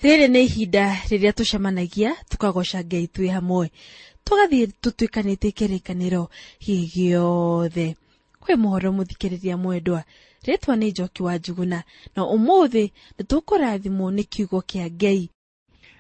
Rĩrĩ nĩ ihinda rĩrĩa tũcemanagia tũkagoca Ngai twĩ hamwe, tũgathiĩ tũtuĩkanĩtie kĩrĩkanĩro gĩothe. Kwĩ mũhoro mũthikĩrĩria mwendwa, rĩtwa nĩ Njoki wa Njuguna, na ũmũthĩ nĩ tũkũrathimwo nĩ kiugo kĩa Ngai.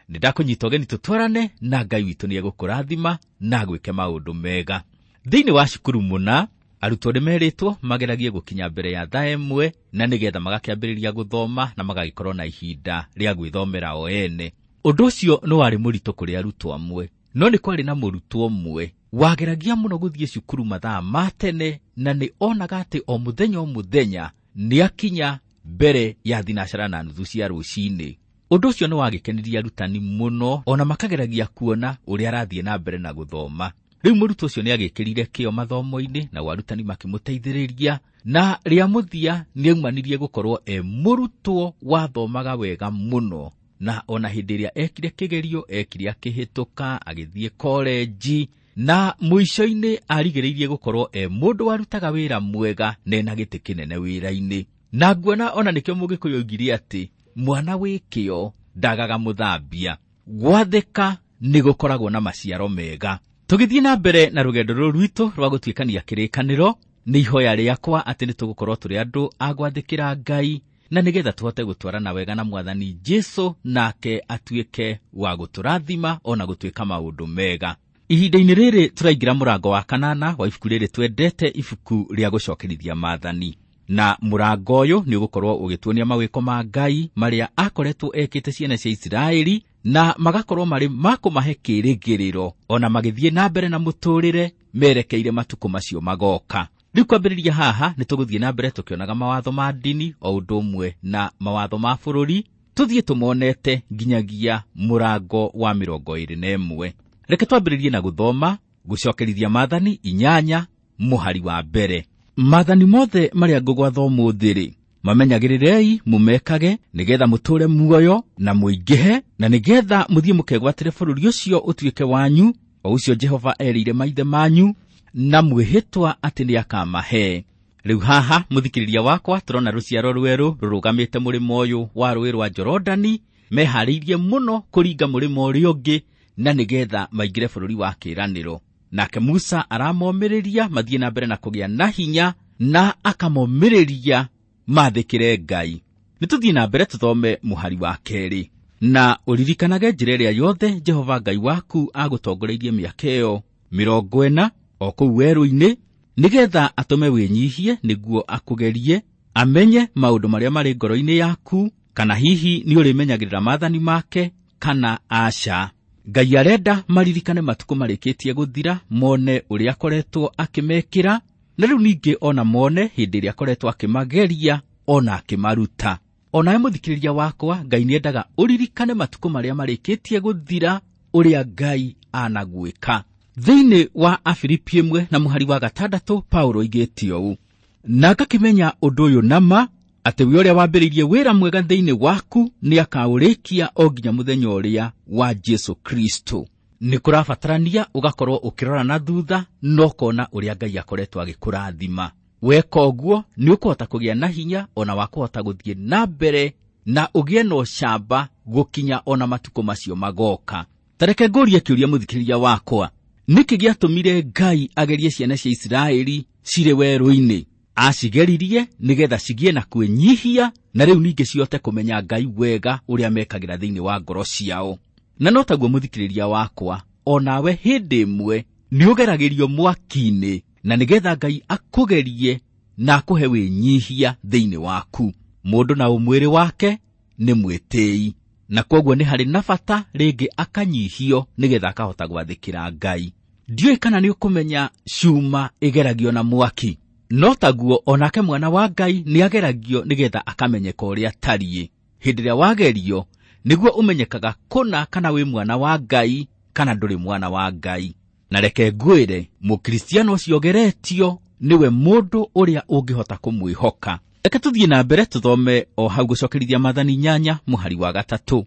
Nĩ ndakũnyita ũgeni tũtwarane na Ngai witũ nĩ egũkũrathima na agwĩke maũndũ mega. Thĩinĩ wa cukuru mũna, arutwo nĩ merĩtwo mageragie gũkinya mbere ya thaa 1 na nĩgetha magakĩambĩrĩria gũthoma na magagĩkorwo na ihinda rĩa gwĩthomera o ene. Ũndũ ũcio nĩ warĩ mũritũ kũrĩ arutwo amwe, no nĩ kwarĩ na mũrutwo ũmwe wageragia mũno gũthiĩ cukuru mathaa ma tene na nĩ onaga atĩ o mũthenya o mũthenya nĩ akinya mbere ya 9:30 cia rũcinĩ. Ũndũ ũcio nĩ wagĩkenirie arutani mũno, ona makageragia kuona ũrĩa arathiĩ na mbere na gũthoma. Rĩu mũrutwo ũcio nĩ agĩkĩrire kĩo mathomo-inĩ na arutani makĩmũteithĩrĩria, na rĩa mũthia nĩ aumanirie gũkorwo e mũrutwo wathomaga wega mũno, na ona hĩndĩ ĩrĩa ekire kĩgerio ekire akĩhĩtũka agĩthiĩ korenji, na mũico-inĩ arigĩrĩirie gũkorwo e mũndũ warutaga wĩra mwega na ena gĩtĩ kĩnene wĩra-inĩ. Na nguona ona nĩkĩo Mũgĩkũyũ oigire atĩ mwana wĩ kĩo ndagaga mũthambia. Gwathĩka nĩ gũkoragwo na maciaro mega. Tũgĩthiĩ na mbere na rũgendo rũrũ rwitũ rwa gũtuĩkania kĩrĩkanĩro, nĩ ihoya rĩakwa atĩ nĩ tũgũkorwo tũrĩ andũ a gwathĩkĩra Ngai, na nĩgetha tũhote gũtwarana wega na Mwathani Jesũ, nake atuĩke wa gũtũrathima ona gũtuĩka maũndũ mega. Ihinda-inĩ rĩrĩ tũraingĩra mũrango wa 8 wa ibuku rĩrĩ twendete, ibuku rĩa gũcokerithia maathani. Na mũrango ũyũ nĩ ũgũkorwo ũgĩtuonia mawĩko ma Ngai marĩa akoretwo ekĩte ciana cia Isiraeli, na magakorwo marĩ ma kũmahe kĩĩrĩgĩrĩro ona magĩthiĩ na mbere na mũtũrĩre merekeire matukũ macio magoka. Rĩu kwambĩrĩria haha nĩ tũgũthiĩ na mbere tũkĩonaga mawatho ma ndini o ũndũ ũmwe na mawatho ma bũrũri, tũthiĩ tũmonete nginyagia mũrango wa 21. Reke twambĩrĩrie na gũthoma gũcokerithia maathani 8 mũhari wa 1. Maathani mothe marĩa ngũgwatha ũmũthĩ rĩ, mamenyagĩrĩrei mũmekage, nĩgetha mũtũũre muoyo na mũingĩhe, na nĩgetha mũthiĩ mũkegwatĩre bũrũri ũcio ũtuĩke wanyu, o ũcio Jehova erĩire maithe manyu, na mwĩhĩtwa atĩ nĩakamahe. Rĩu haha mũthikĩrĩria wakwa tũrona rũciaro rwerũ rũrũgamĩte mũrĩmo ũyũ wa rũĩ rwa Jorodani, meharĩirie mũno kũringa mũrĩmo ũrĩa ũngĩ na nĩgetha maingĩre bũrũri wa kĩĩranĩro. Nake Musa aramomĩrĩria mathiĩ na mbere na kũgĩa na hinya, na akamomĩrĩria mathĩkĩre Ngai. Nĩ tũthiĩ na mbere tũthome mũhari wa 2. Na ũririkanage njĩra ĩrĩa yothe Jehova Ngai waku agũtongoreirie mĩaka ĩyo 40 o kũu werũ-inĩ, nĩgetha atũme wĩnyihie nĩguo akũgerie, amenye maũndũ marĩa marĩ ngoro-inĩ yaku, kana hihi nĩ ũrĩmenyagĩrĩra maathani make kana aca. Ngai arenda maririkane matukũ marĩkĩtie gũthira, mone ũrĩa akoretwo akĩmekĩra, na rĩu ningĩ ona mone hĩndĩ ĩrĩa akoretwo akĩmageria ona akĩmaruta. Onawe mũthikĩrĩria wakwa, Ngai nĩendaga ũririkane matukũ marĩa marĩkĩtie gũthira, ũrĩa Ngai anagwĩka. Thĩinĩ wa Afilipi 1 na mũhari wa 6, Paulo oigĩte ũũ: na ngakĩmenya ũndũ ũyũ nama, atĩ we ũrĩa wambĩrĩirie wĩra mwega thĩinĩ waku nĩakaũrĩkia o nginya mũthenya ũrĩa wa Jesũ Kristo. Nĩ kũrabatarania ũgakorwo ũkĩrora na thutha na ũkona ũrĩa Ngai akoretwo agĩkũrathima. Weka ũguo nĩ ũkũhota kũgĩa na hinya ona wa kũhota gũthiĩ na mbere na ũgĩe na ũcamba gũkinya ona matukũ macio magoka. Ta reke ngũrie kĩũria mũthikĩrĩria wakwa, nĩkĩ gĩatũmire Ngai agerie ciana cia Isiraeli cirĩ werũ-inĩ? Acigeririe nĩgetha cigĩe na kwĩnyihia, na rĩu ningĩ cihote kũmenya Ngai wega ũrĩa mekagĩra thĩinĩ wa ngoro ciao. Na no taguo mũthikĩrĩria wakwa, onawe hĩndĩ ĩmwe nĩ ũgeragĩrio mwaki-inĩ, na nĩgetha Ngai akũgerie na akũhe wĩnyihia thĩinĩ waku. Mũndũ na ũmwĩrĩ wake nĩ mwĩtĩi, na kwoguo nĩ harĩ na bata rĩngĩ akanyihio nĩgetha akahota gwathĩkĩra Ngai. Ndiũĩ kana nĩ ũkũmenya cuma ĩgeragio na mwaki. No taguo onake mwana wa Ngai nĩ ageragio nĩgetha akamenyeka ũrĩa atariĩ. Hĩndĩ ĩrĩa wagerio nĩguo ũmenyekaga kũna kana wĩ mwana wa Ngai kana ndũrĩ mwana wa Ngai. Na reke ngwĩre, mũkristiano ũcio ũgeretio nĩwe mũndũ ũrĩa ũngĩhota kũmwĩhoka. Reke tũthiĩ na mbere tũthome o hau gũcokerithia maathani 8 mũhari wa 3.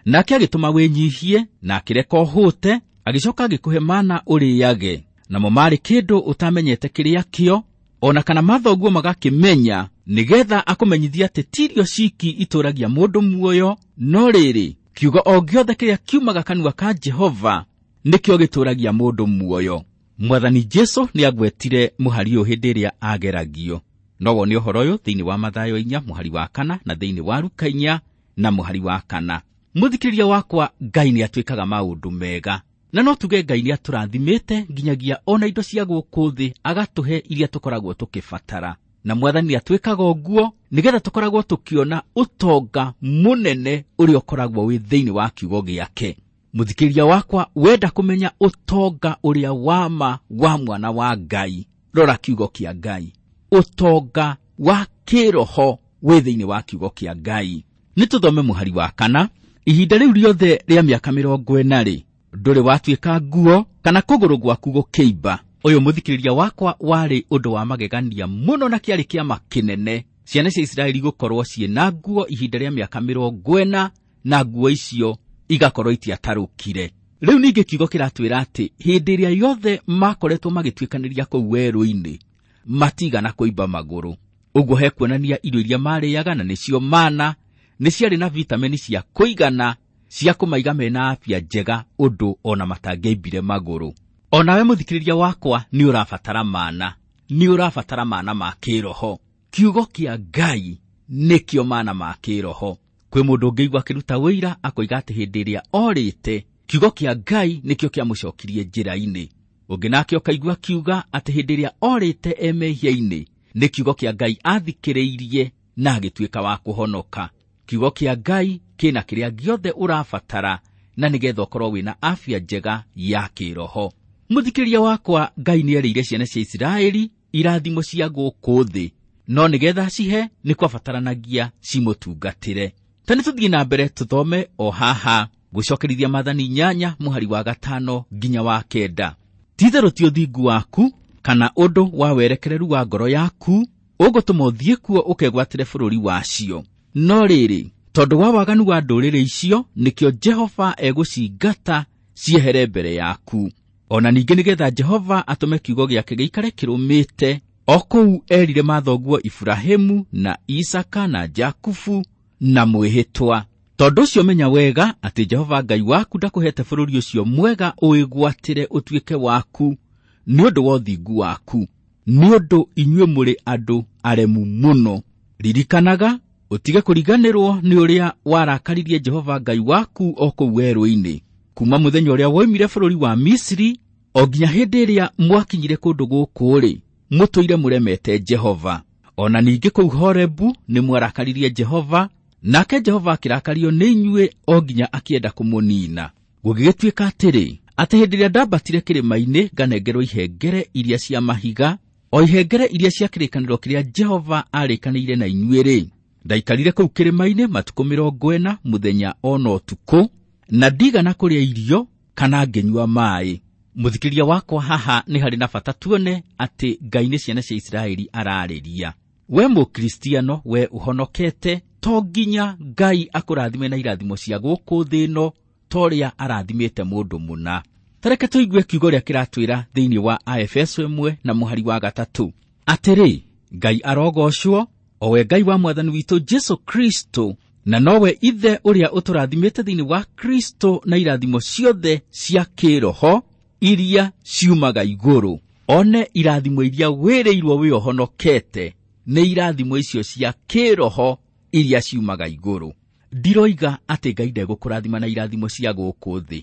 Nake agĩtũma wĩnyihie na akĩreka ũhũte, agĩcoka agĩkũhe mana ũrĩage, namo marĩ kĩndũ ũtamenyete kĩrĩa kĩo, ona kana mathoguo magakĩmenya, nĩgetha akũmenyithie atĩ ti irio ciki itũragia mũndũ muoyo, no rĩrĩ Kiugo o gĩothe kĩrĩa kiumaga kanua ka Jehova nĩkĩo gĩtũũragia mũndũ muoyo. Mwathani Jesu nĩagwetire mũhari ũyũ hĩndĩ ĩrĩa ageragio. No wone ũhoro ũyũ thĩinĩ wa Mathayo 4 mũhari wa 4 na thĩinĩ wa Luka 4 na mũhari wa 4. Mũthikĩrĩria wakwa, Ngai nĩatwĩkaga maũndũ mega, na no tuge Ngai nĩatũrathimĩte nginyagia ona indo cia gũkũ thĩ agatũhe iria tũkoragwo tũkĩbatara. Na Mwathani nĩatwĩkaga ũguo nĩgetha tũkoragwo tũkĩona ũtonga mũnene ũrĩa ũkoragwo wĩ thĩinĩ wa kiugo gĩake. Mũthikĩrĩria wakwa, wenda kũmenya ũtonga ũrĩa wama wa mwana wa Ngai, rora kiugo kĩa Ngai. Ũtonga wa kĩroho wĩ thĩinĩ wa kiugo kĩa Ngai. Nĩtũthome mũhari wa 4. Ihinda rĩu rĩothe rĩa mĩaka 40 ndũrĩ watuĩka nguo kana kũgũrũ gwaku gũkĩimba. Ũyũ mũthikĩrĩria wakwa warĩ ũndũ wa magegania mũno na kĩarĩ kĩama kĩnene. Ciana cia Isiraeli gũkorwo ciĩna nguo ihinda rĩa mĩaka 40 na nguo icio igakorwo itiatarũkire. Rĩu ningĩ kiugo kĩratwĩra atĩ hĩndĩ ĩrĩa yothe makoretwo magĩtuĩkanĩria kũu werũ-inĩ matigana kũimba magũrũ. Ũguo hekuonania irio iria marĩaga na nĩcio mana nĩ ciarĩ na vitamini cia kũigana cia kũmaiga mena afya njega ũndũ ona matangĩaimbire magũrũ. Onawe mũthikĩrĩria wakwa nĩ ũrabatara mana, nĩ ũrabatara mana ma kĩroho. Kiugo kĩa Ngai nĩkĩo mana ma kĩroho. Kwĩ mũndũ ũngĩigua akĩruta wĩira akoiga atĩ hĩndĩ ĩrĩa orĩte kiugo kĩa Ngai nĩkĩo kĩamũcokirie njĩra-inĩ. Ũngĩ nake ũkaigua akiuga atĩ hĩndĩ ĩrĩa orĩte e mehia-inĩ nĩ kiugo kĩa Ngai athikĩrĩirie na agĩtuĩka wa kũhonoka. Kiugo kĩa Ngai kĩna kĩrĩa gĩothe ũrabatara na nĩgetha ũkorwo wĩna afya njega ya kĩroho. Mũthikĩrĩria wakwa, Ngai nĩerĩire ciana cia Isiraeli irathimo cia gũkũ thĩ, no nĩgetha cihe nĩ kwabataranagia cimũtungatĩre. Ta nĩtũthiĩ na mbere tũthome o haha gũcokerithia Maathani 8 mũhari wa 5 nginya wa 9. Ti-itherũ ti ũthingu waku kana ũndũ wa werekereru wa ngoro yaku ũgũtũma ũthiĩ kuo ũkegwatĩre bũrũri wacio. No rĩrĩ, tondũ wa waganu wa ndũrĩrĩ icio nĩkĩo Jehova egũcingata ciehere mbere yaku. Ona ningĩ nĩgetha Jehova atũme kiugo gĩake gĩikare kĩrũmĩte o kũu erire mathoguo Iburahĩmu na Isaka na Jakubu na mwĩhĩtwa. Tondũ ũcio menya wega atĩ Jehova Ngai waku ndakũhete bũrũri ũcio mwega ũwĩgwatĩre ũtuĩke waku nĩ ũndũ wa ũthingu waku, nĩ ũndũ inyuĩ mũrĩ andũ aremu mũno. Ririkanaga ũtige kũriganĩrwo nĩ ũrĩa warakaririe Jehova Ngai waku o kũu werũ-inĩ, kuma mũthenya ũrĩa woimire bũrũri wa Misiri o nginya hĩndĩ ĩrĩa mwakinyire kũndũ gũkũ-rĩ, mũtũire mũremete Jehova. Ona ningĩ kũu Horebu nĩ mwarakaririe Jehova, nake Jehova akĩrakario nĩ inyuĩ o nginya akĩenda kũmũnina. Gũgĩgĩtuĩka atĩrĩ, atĩ hĩndĩ ĩrĩa ndambatire kĩrĩma-inĩ nganengerwo ihengere iria cia mahiga, o ihengere iria cia kĩrĩkanĩro kĩrĩa Jehova aarĩkanĩire na inyuĩ-rĩ, ndaikarire kũu kĩrĩma-inĩ matukũ 40 mũthenya ona ũtukũ, na ndigana kũrĩa irio kana ngĩnyua maaĩ. Mũthikĩrĩria wakwa, haha nĩ harĩ na bata tuone atĩ Ngai nĩ ciana cia Isiraeli ararĩria. We mũkristiano, we ũhonokete, to nginya Ngai akũrathime na irathimo cia gũkũ thĩ ĩno ta ũrĩa arathimĩte mũndũ mũna. Ta reke tũigue kiugo ũrĩa kĩratwĩra thĩinĩ wa Aefeso 1 na mũhari wa 3. Atĩrĩ, Ngai arogocwo, o we Ngai wa Mwathani witũ Jesu Kristo, na nowe Ithe ũrĩa ũtũrathimĩte thĩinĩ wa Kristo na irathimo ciothe cia kĩroho iria ciumaga igũrũ. One irathimo iria wĩrĩirwo wĩ ũhonokete nĩ irathimo icio cia kĩroho iria ciumaga igũrũ. Ndiroiga atĩ Ngai ndegũkũrathima na irathimo cia gũkũ thĩ.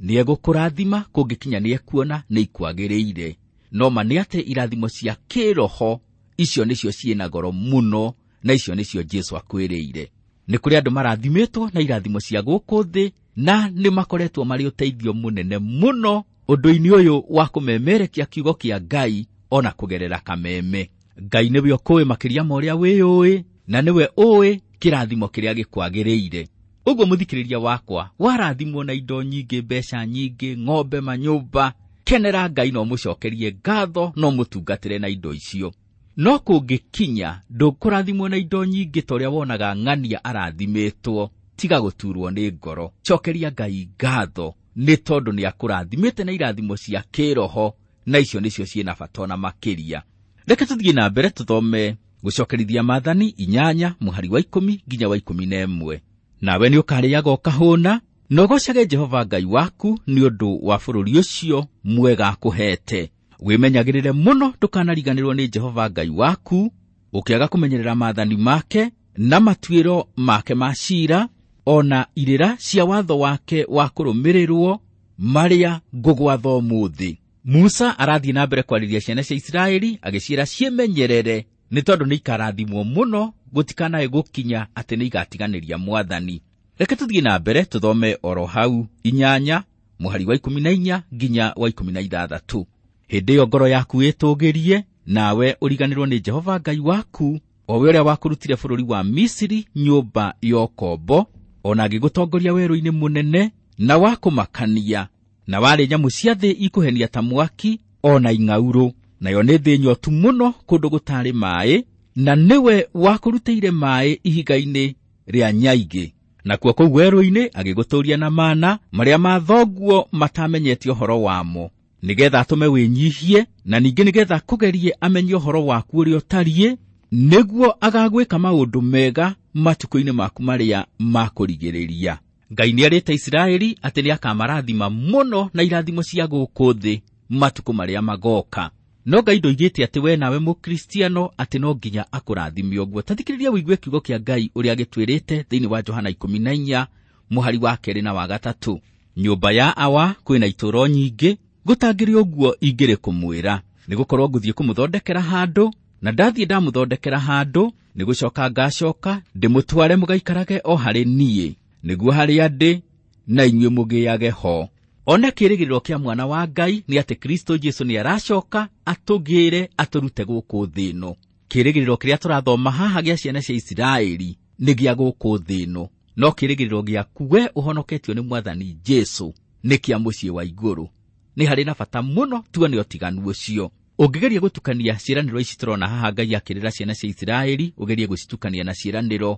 Nĩegũkũrathima kũngĩkinya nĩekuona nĩ ikwagĩrĩire. No ma nĩ atĩ irathimo cia kĩroho icio nĩcio ciĩna goro mũno, na icio nĩcio Jesu akwĩrĩire. Nĩ kũrĩ andũ marathimĩtwo na irathimo cia gũkũ thĩ na nĩ makoretwo marĩ ũteithio mũnene mũno ũndũ-inĩ ũyũ wa kũmemerekia kiugo kĩa Ngai ona kũgerera kameme. Ngai nĩwe ũkũĩ makĩria ma ũrĩa wĩyũĩ, na nĩwe ũĩ kĩrathimo kĩrĩa gĩkwagĩrĩire. Ũguo mũthikĩrĩria wakwa, warathimwo na indo nyingĩ, mbeca nyingĩ, ng'ombe, manyũmba, kenera Ngai na ũmũcokerie ngatho na ũmũtungatĩre na indo icio. No kũngĩkinya ndũkũrathimwo na indo nyingĩ ta ũrĩa wonaga ng'ania arathimĩtwo, tiga gũturwo nĩ ngoro. Cokeria Ngai ngatho nĩ tondũ nĩakũrathimĩte na irathimo cia kĩroho, na icio nĩcio ciĩna bata ona makĩria. Reke tũthiĩ na mbere tũthome gũcokerithia Maathani 8 mũhari wa 10 nginya wa 11. Nawe nĩũkarĩaga ũkahũna, Na ũgoocage Jehova Ngai waku nĩ ũndũ wa bũrũri ũcio mwega akũheete. Wĩmenyagĩrĩre mũno ndũkanariganĩrwo nĩ Jehova Ngai waku, ũkĩaga kũmenyerera maathani make na matuĩro make ma ciira, ona irĩra cia watho wake wa kũrũmĩrĩrwo marĩa ngũgwatha ũmũthĩ. Musa arathiĩ na mbere kwarĩria ciana cia Isiraeli agĩciĩra ciĩmenyerere nĩ tondũ nĩ ikarathimwo mũno, gũtikanae gũkinya atĩ nĩ igatiganĩria Mwathani. Reke tũthiĩ na mbere tũthome oro hau 8 mũhari wa 14 nginya wa 16. Hĩndĩ ĩyo ngoro yaku ĩtũgĩrie, nawe ũriganĩrwo nĩ Jehova Ngai waku, o we ũrĩa wakũrutire bũrũri wa Misiri nyũmba ya ũkombo, ona agĩgũtongoria werũ-inĩ mũnene na wa kũmakania, na warĩ nyamũ cia thĩ ikũhenia ta mwaki ona ing'aurũ, nayo nĩ thĩ nyotu mũno kũndũ gũtarĩ maĩ, na nĩwe wakũrutĩire maĩ ihiga-inĩ rĩa nyaigĩ. Nakuo kũu werũ-inĩ agĩgũtũũria na mana marĩa mathonguo matamenyete ũhoro wamo, nĩgetha atũme wĩnyihie, na ningĩ nĩgetha kũgerie amenye ũhoro waku ũrĩa ũtariĩ, nĩguo agagwĩka maũndũ mega matukũ-inĩ maku marĩa ma kũrigĩrĩria. Ngai nĩerĩte Isiraeli atĩ nĩakamarathima mũno na irathimo cia gũkũ thĩ matukũ marĩa magoka. No Ngai ndoigĩte atĩ we nawe mũkristiano atĩ no nginya akũrathime ũguo. Ta thikĩrĩria ũigue kiugo kĩa Ngai ũrĩa gĩtwĩrĩte thĩinĩ wa Johana 14 mũhari wa 2 na wa 3. Nyũmba ya Awa kwĩna itũũro nyingĩ, gũtangĩrĩ ũguo ingĩrĩ kũmwĩra, nĩgũkorwo ngũthiĩ kũmũthondekera handũ, na ndathiĩ ndamũthondekera handũ, nĩgũcoka ngacoka ndĩmũtware mũgaikarage o harĩ niĩ, nĩguo harĩa ndĩ na inyuĩ mũgĩage ho. One kĩĩrĩgĩrĩro kĩa mwana wa Ngai nĩ atĩ Kristo Jesu nĩ aracoka atũgĩre atũrute gũkũ thĩ ĩno. Kĩĩrĩgĩrĩro kĩrĩa tũrathoma haha gĩa ciana cia Isiraeli nĩ gĩa gũkũ thĩ ĩno, no kĩĩrĩgĩrĩro gĩaku we ũhonoketio nĩ Mwathani Jesu nĩ kĩa mũciĩ wa igũrũ. Nĩ harĩ na bata mũno tuone ũtiganu ũcio. Ũngĩgeria gũtukania ciĩranĩro ici tũrona haha Ngai akĩrĩra ciana cia Isiraeli, ũgerie gũcitukania na ciĩranĩro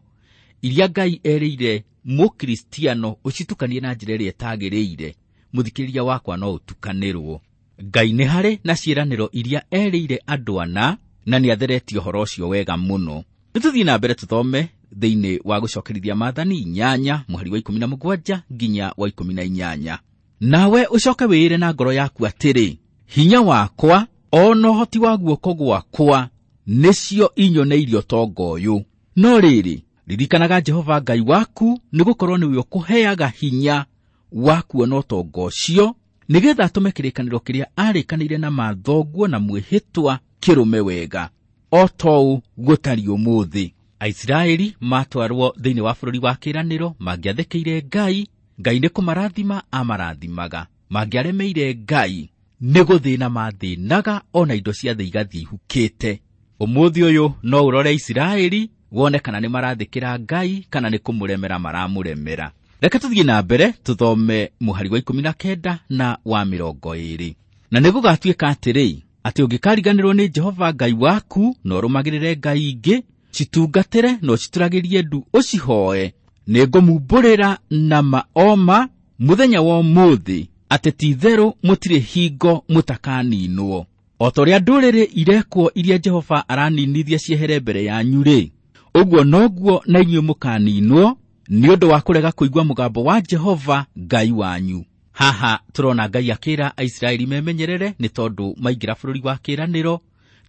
iria Ngai erĩire mũkristiano, ũcitukanie na njĩra ĩrĩa ĩtagĩrĩire, mũthikĩrĩria wakwa no ũtukanĩrwo. Ngai nĩ harĩ na ciĩranĩro iria erĩire andũ ana, na nĩ atheretie ũhoro ũcio wega mũno. Nĩtũthiĩ na mbere tũthome thĩinĩ wa gũcokerithia maathani 8 mũhari wa 17 nginya wa 18. Nawe ũcoke wĩĩre na ngoro yaku atĩrĩ, hinya wakwa ona ũhoti wa guoko gwakwa nĩcio inyoneirie ũtonga ũyũ. No rĩrĩ, ririkanaga Jehova Ngai waku, nĩgũkorwo nĩwe ũkũheaga hinya wa kuona ũtonga ũcio, nĩgetha atũme kĩrĩkanĩro kĩrĩa arĩkanĩire na mathonguo na mwĩhĩtwa kĩrũme wega, o ta ũũ gũtariĩ ũmũthĩ. Aisiraeli matwarwo thĩinĩ wa bũrũri wa kĩĩranĩro mangĩathĩkĩire Ngai, Ngai nĩ kũmarathima amarathimaga. Mangĩaremeire Ngai, nĩ gũthĩna mathĩnaga ona indo cia thĩ igathiĩ ihukĩte. Ũmũthĩ ũyũ no ũrore Isiraeli wone kana nĩ marathĩkĩra Ngai kana nĩ kũmũremera maramũremera. Reke tũthiĩ na mbere tũthome mũhari wa 19 na wa 20. Na nĩgũgatuĩka atĩrĩ, atĩ ũngĩkariganĩrwo nĩ Jehova Ngai waku na ũrũmagĩrĩre ngai ingĩ, citungatĩre na ũcituragĩrie ndu ũcihooe, nĩngũmumbũrĩra na maoma mũthenya wa ũmũthĩ atĩ ti-itherũ mũtirĩ hingo mũtakaninwo. O ta ũrĩa ndũrĩrĩ irekwo iria Jehova araninithia ciehere mbere yanyu-rĩ, ũguo noguo na inyuĩ mũkaninwo nĩ ũndũ wa kũrega kũigua mũgambo wa Jehova Ngai wanyu. Haha tũrona Ngai akĩra Aisiraeli memenyerere nĩ tondũ maingĩra bũrũri wa kĩĩranĩro,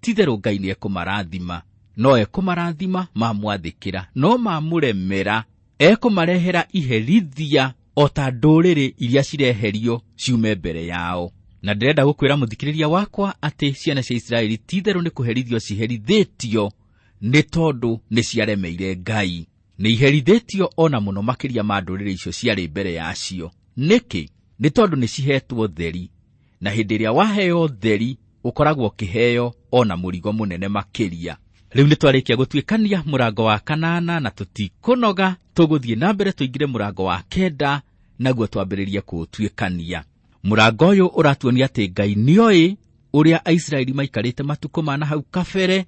ti-itherũ Ngai nĩekũmarathima. No ekũmarathima mamwathĩkĩra, no mamũremera ekũmarehera iherithia o ta ndũrĩrĩ iria cireherio ciume mbere yao. Na ndĩrenda gũkwĩra mũthikĩrĩria wakwa atĩ ciana cia Isiraeli ti-itherũ nĩ kũherithio ciherithĩtio nĩ tondũ nĩ ciaremeire Ngai. Nĩ iherithĩtio ona mũno makĩria ma ndũrĩrĩ icio ciarĩ mbere yacio. Nĩkĩ? Nĩ tondũ nĩ cihetwo theri, na hĩndĩ ĩrĩa waheo theri ũkoragwo ũkĩheo ona mũrigo mũnene makĩria. Rĩu nĩ twarĩkia gũtuĩkania mũrango wa 8 na tũtikũnoga, tũgũthiĩ na mbere tũingĩre mũrango wa 9 naguo twambĩrĩrie kũũtuĩkania. Mũrango ũyũ ũratuonia atĩ Ngai nĩoĩ ũrĩa Aisiraeli maikarĩte matukũ ma na hau kabere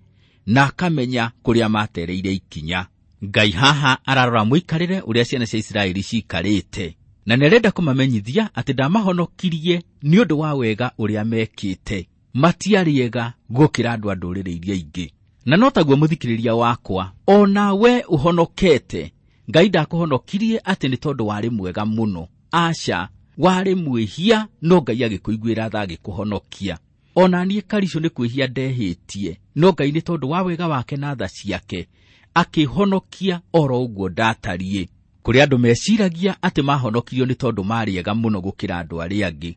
na akamenya kũrĩa matereire ikinya. Ngai haha ararora mũikarĩre ũrĩa ciana cia Isiraeli ciikarĩte, na nĩarenda kũmamenyithia atĩ ndamahonokirie nĩ ũndũ wa wega ũrĩa mekĩte. Matiarĩ ega gũkĩra andũ a ndũrĩrĩ iria ingĩ. Na no taguo mũthikĩrĩria wakwa, ona we ũhonokete, Ngai ndakũhonokirie atĩ nĩ tondũ warĩ mwega mũno. Aca, warĩ mwĩhia no Ngai agĩkũiguĩra tha agĩkũhonokia. Ona niĩ Karicũ nĩ kwĩhia ndehĩtie, no Ngai nĩ tondũ wa wega wake na tha ciake akĩhonokia oro ũguo ndatariĩ. Kũrĩ andũ meciragia atĩ mahonokirio nĩ tondũ maarĩ ega mũno gũkĩra andũ arĩa angĩ,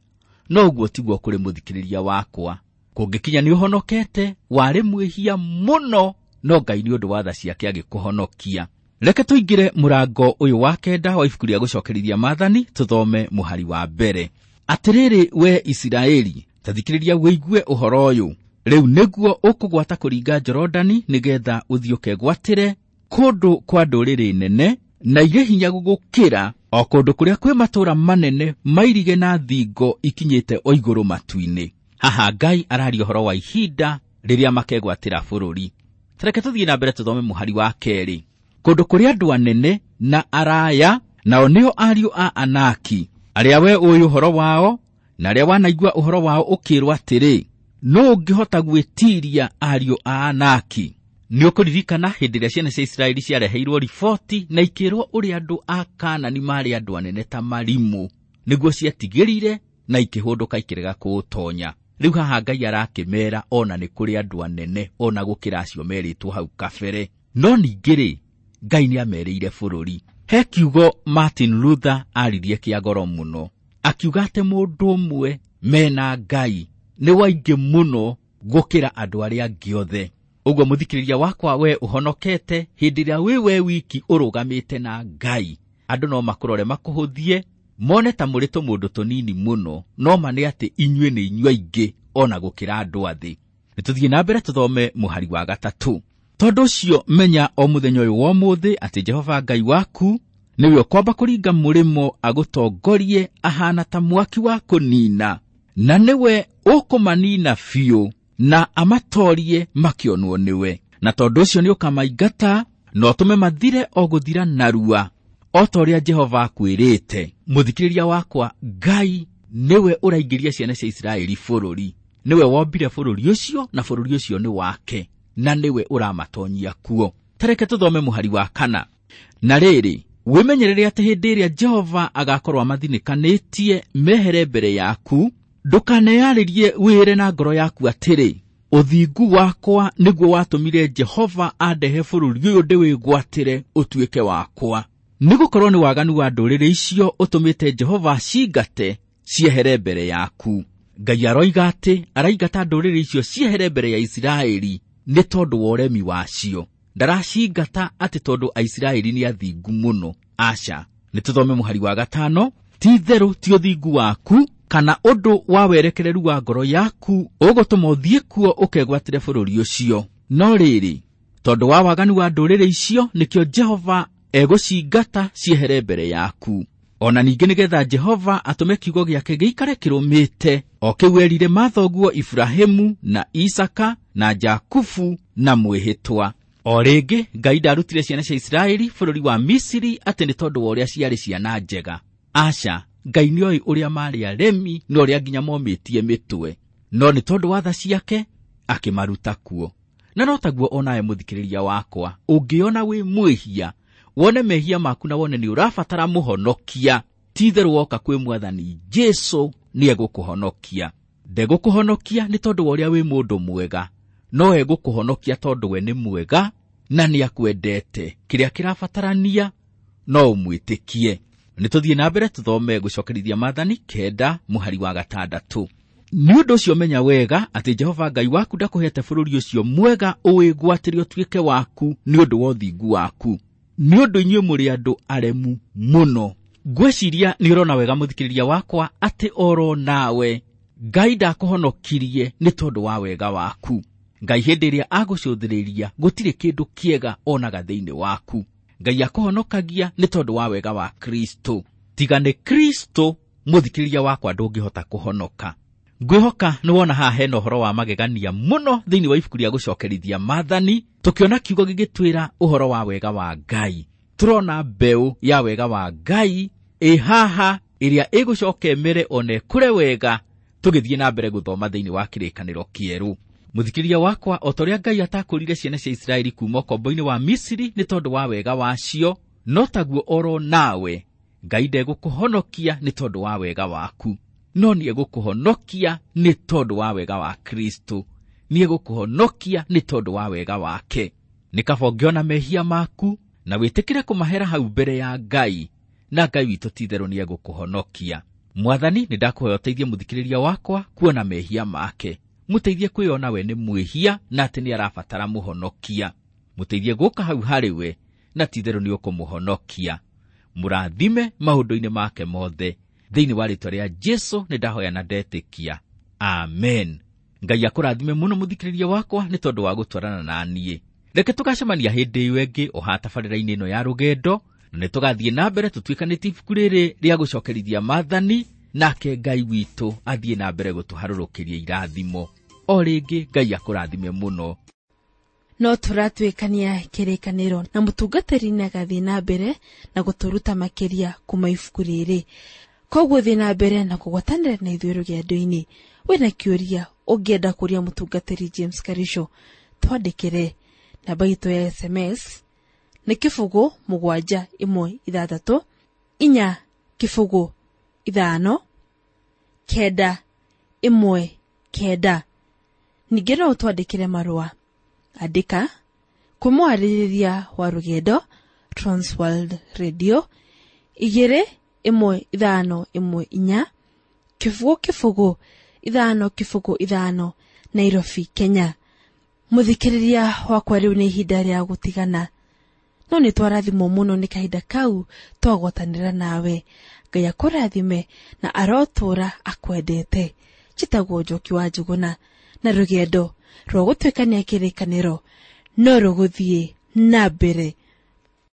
no ũguo tiguo kũrĩ mũthikĩrĩria wakwa. Kũngĩkinya nĩ ũhonokete, warĩ mwĩhia mũno, no Ngai nĩ ũndũ wa tha ciake agĩkũhonokia. Reke tũingĩre mũrango ũyũ wa 9 wa ibuku rĩa gũcokerithia maathani, tũthome mũhari wa 1. Atĩrĩrĩ we Isiraeli, ta thikĩrĩria wĩigue ũhoro ũyũ. Rĩu nĩguo ũkũgwata kũringa Jorodani nĩgetha ũthiĩ ũkegwatĩre kũndũ kwa ndũrĩrĩ nene na irĩ hinya gũgũkĩra, o kũndũ kũrĩa kwĩ matũũra manene mairige na thingo ikinyĩte o igũrũ matu-inĩ. Haha Ngai araria ũhoro wa ihinda rĩrĩa makegwatĩra bũrũri. Tareke tũthiĩ na mbere tũthome mũhari wa 2. Kũndũ kũrĩa andũ anene na araya, nao nĩo ariũ a Anaki, arĩa we ũĩ ũhoro wao, na arĩa wanaigua ũhoro wao ũkĩĩrwo atĩrĩ, nũ ũngĩhota gwĩtiiria ariũ a Anaki? Nĩ ũkũririkana hĩndĩ ĩrĩa ciana cia Isiraeli ciareheirwo riboti na ikĩĩrwo ũrĩa andũ a Kaanani maarĩ andũ anene ta marimũ, nĩguo ciatigĩrire na ikĩhũndũka ikĩrega kũũtonya. Rĩu haha Ngai arakĩmeera ona nĩ kũrĩ andũ anene ona gũkĩra acio merĩtwo hau kabere. No ningĩ rĩ, Ngai nĩ amerĩire bũrũri. He kiugo Martin Luther aririe kĩa goro mũno, akiuga atĩ mũndũ ũmwe mena Ngai nĩ waingĩ mũno gũkĩra andũ arĩa angĩ othe. Ũguo mũthikĩrĩria wakwa, we ũhonokete hĩndĩ ĩrĩa wĩ we wiki ũrũgamĩte na Ngai, andũ no makũrore makũhũthie, mone ta mũrĩ tũmũndũ tũnini mũno, no ma nĩ atĩ inyuĩ nĩ inyuĩ aingĩ ona gũkĩra andũ a thĩ. Nĩ tũthiĩ na mbere tũthome mũhari wa 3. Tondũ ũcio menya o mũthenya ũyũ wa ũmũthĩ atĩ Jehova Ngai waku nĩwe ũkwamba kũringa mũrĩmo agũtongorie ahana ta mwaki wa kũnina, na nĩwe ũkũmanina biũ na amatorie makĩonwo nĩwe. Na tondũ ũcio nĩ ũkamaingata na ũtũme mathire o gũthira narua, o ta ũrĩa Jehova akwĩrĩte. Mũthikĩrĩria wakwa, Ngai nĩwe ũraingĩria ciana cia Isiraeli bũrũri, nĩwe wombire bũrũri ũcio na bũrũri ũcio nĩ wake, na nĩwe ũramatonyia kuo. Tareke tũthome mũhari wa 4. Na rĩrĩ, wĩmenyerere atĩ hĩndĩ ĩrĩa Jehova agakorwo amathinĩkanĩtie mehere mbere yaku, ndũkaneyarĩrie wĩre na ngoro yaku atĩrĩ, ũthingu wakwa nĩguo watũmire Jehova andehe bũrũri ũyũ ndĩwĩgwatĩre ũtuĩke wakwa. Nĩgũkorwo nĩ waganu wa ndũrĩrĩ icio ũtũmĩte Jehova acingate ciehere mbere yaku. Ngai aroiga atĩ araingata ndũrĩrĩ icio ciehere mbere ya Isiraeli nĩ tondũ wa ũremi wacio. Ndaracingata atĩ tondũ Aisiraeli nĩ athingu mũno. Aca. Nĩ tũthome mũhari wa 5. Ti itherũ ti ũthingu waku kana ũndũ wa werekereru wa ngoro yaku ũgũtũma ũthiĩ kuo ũkegwatĩre bũrũri ũcio. No rĩrĩ, tondũ wa waganu wa ndũrĩrĩ icio nĩkĩo Jehova egũcingata ciehere mbere yaku. Ona ningĩ nĩgetha Jehova atũme kiugo gĩake gĩikare kĩrũmĩte, o kĩu erire mathoguo Iburahĩmu na Isaka na Jakubu na mwĩhĩtwa. O rĩngĩ Ngai ndarutire ciana cia Isiraeli bũrũri wa Misiri atĩ nĩ tondũ wa ũrĩa ciarĩ ciana njega. Aca, Ngai nĩoĩ ũrĩa maarĩ aremi na ũrĩa nginya momĩtie mĩtwe, no nĩ tondũ wa tha ciake akĩmaruta kuo. Na no taguo onawe mũthikĩrĩria wakwa, ũngĩona wĩ mwĩhia, wone mehia maku na wone nĩ ũrabatara mũhonokia, ti itherũ woka kwĩ Mwathani Jesũ nĩ egũkũhonokia. Ndegũkũhonokia nĩ tondũ wa ũrĩa wĩ mũndũ mwega, no egũkũhonokia tondũ we nĩ mwega na nĩ akwendete. Kĩrĩa kĩrabatarania no ũmwĩtĩkie. Nĩ tũthiĩ na mbere tũthome gũcokerithia maathani 9 mũhari wa 6. Nĩ ũndũ ũcio menya wega atĩ Jehova Ngai waku ndakũhete bũrũri ũcio mwega ũwĩgwatĩre ũtuĩke waku nĩ ũndũ wa ũthingu waku, nĩ ũndũ inyuĩ mũrĩ andũ aremu mũno. Ngwĩciria nĩ ũrona wega mũthikĩrĩria wakwa atĩ oro nawe Ngai ndakũhonokirie nĩ tondũ wa wega waku. Ngai hĩndĩ ĩrĩa agũcũthĩrĩria gũtirĩ kĩndũ kĩega onaga thĩinĩ waku. Ngai akũhonokagia nĩ tondũ wa wega wa Kristo. Tiga nĩ Kristo mũthikĩrĩria wakwa ndũngĩhota kũhonoka. Ngwĩhoka nĩ wona haha hena ũhoro wa magegania mũno thĩinĩ wa ibuku rĩa gũcokerithia maathani, tũkĩona kiugo gĩgĩtwĩra ũhoro wa wega wa Ngai. Tũrona mbeũ ya wega wa Ngai ĩ haha ĩrĩa ĩgũcoka ĩmere ona ĩkũre wega tũgĩthiĩ na mbere gũthoma thĩinĩ wa kĩrĩkanĩro kĩerũ. Mũthikĩrĩria wakwa, o ta ũrĩa Ngai atakũrire ciana cia Isiraeli kuma ũkombo-inĩ wa Misiri nĩ tondũ wa wega wacio, no taguo oro nawe Ngai ndegũkũhonokia nĩ tondũ wa wega waku, no nĩegũkũhonokia nĩ tondũ wa wega wa Kristo, nĩegũkũhonokia nĩ tondũ wa wega wake. Nĩ kaba ũngĩona mehia maku na wĩtĩkĩre kũmahera hau mbere ya Ngai, na Ngai witũ ti-itherũ nĩegũkũhonokia. Mwathani, nĩ ndakũhoya ũteithie mũthikĩrĩria wakwa kuona mehia make, mũteithie kwĩona we nĩ mwĩhia na atĩ nĩ arabatara mũhonokia. Mũteithie gũka hau harĩ we na ti-itherũ nĩ ũkũmũhonokia. Mũrathime maũndũ-inĩ make mothe. Thĩinĩ wa rĩĩtwa rĩa Jesu nĩ ndahoya na ndetĩkia. Amen. Ngai akũrathime mũno mũthikĩrĩria wakwa nĩ tondũ wa gũtwarana na niĩ. Reke tũgacemania hĩndĩ ĩyo ĩngĩ o haha tabarĩra-inĩ ĩno ya rũgendo, na nĩ tũgathiĩ na mbere tũtuĩkanĩtie ibuku rĩrĩ rĩa gũcokerithia maathani, nake Ngai witũ athiĩ na mbere gũtũharũrũkĩria irathimo. O rĩngĩ Ngai akũrathime mũno. No tũratuĩkania kĩrĩkanĩro na mũtungatĩri nĩagathiĩ na mbere na gũtũruta makĩria kuma ibuku rĩrĩ. Koguo thiĩ na mbere na kũgwatanĩra na ithuĩ rũgendo-inĩ. Wĩna kĩũria ũngĩenda kũria mũtungatĩri James Karisho, twandĩkĩre. Namba itũ ya SMS nĩ 0 7 1 6 4 0 5 9 1 9. Ningĩ no ũtwandĩkĩre marũa. Andĩka kwĩ mwarĩrĩria wa rũgendo Transworld Radio 2 1 5 1 4 0 0 5 0 5 Nairobi, Kenya. Mũthikĩrĩria wakwa, rĩu nĩ ihinda rĩa gũtigana, no nĩ twarathimwo mũno nĩ kahinda kau twagwatanĩra nawe. Ngai akũrathime na arotũra akwendete. Njĩtagwo Njoki wa Njũgũna, na rũgendo rwa gũtuĩkania kĩrĩkanĩro no rũgũthiĩ na mbere.